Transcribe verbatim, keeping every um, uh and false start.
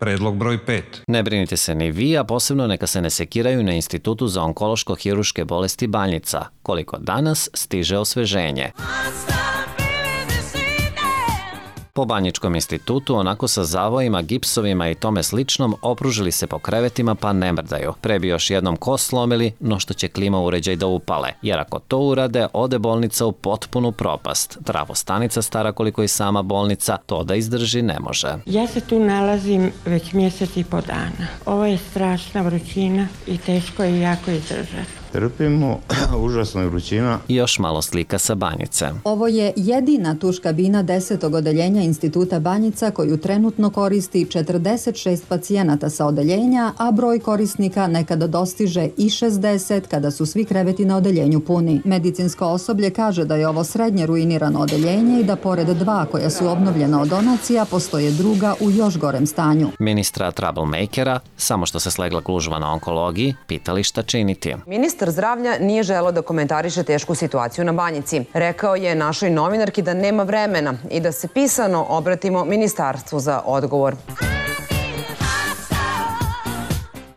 Predlog broj pet. Ne brinite se ni vi, a posebno neka se ne sekiraju na Institutu za onkološko-hiruške bolesti Banjica, koliko danas stiže osveženje. Po Banjičkom institutu, onako sa zavojima, gipsovima i tome sličnom, opružili se po krevetima pa ne mrdaju. Pre bi još jednom kost slomili, no što će klima uređaj da upale. Jer ako to urade, ode bolnica u potpunu propast. Travostanica stara koliko i sama bolnica, to da izdrži ne može. Ja se tu nalazim već mjesec i po dana. Ovo je strašna vrućina i teško je jako izdržati. Trpimo, užasna je vrućina. I još malo slika sa Banjice. Ovo je jedina tuš kabina desetog odeljenja Instituta Banjica koju trenutno koristi četrdeset šest pacijenata sa odeljenja, a broj korisnika nekada dostiže i šezdeset kada su svi kreveti na odeljenju puni. Medicinsko osoblje kaže da je ovo srednje ruinirano odeljenje i da pored dva koja su obnovljena od donacija, postoje druga u još gorem stanju. Ministra Troublemakera, samo što se slegla gužva na onkologiji, pitali šta činiti. Ministar zdravlja nije želeo da komentariše tešku situaciju na Banjici. Rekao je našoj novinarki da nema vremena i da se pisano obratimo ministarstvu za odgovor.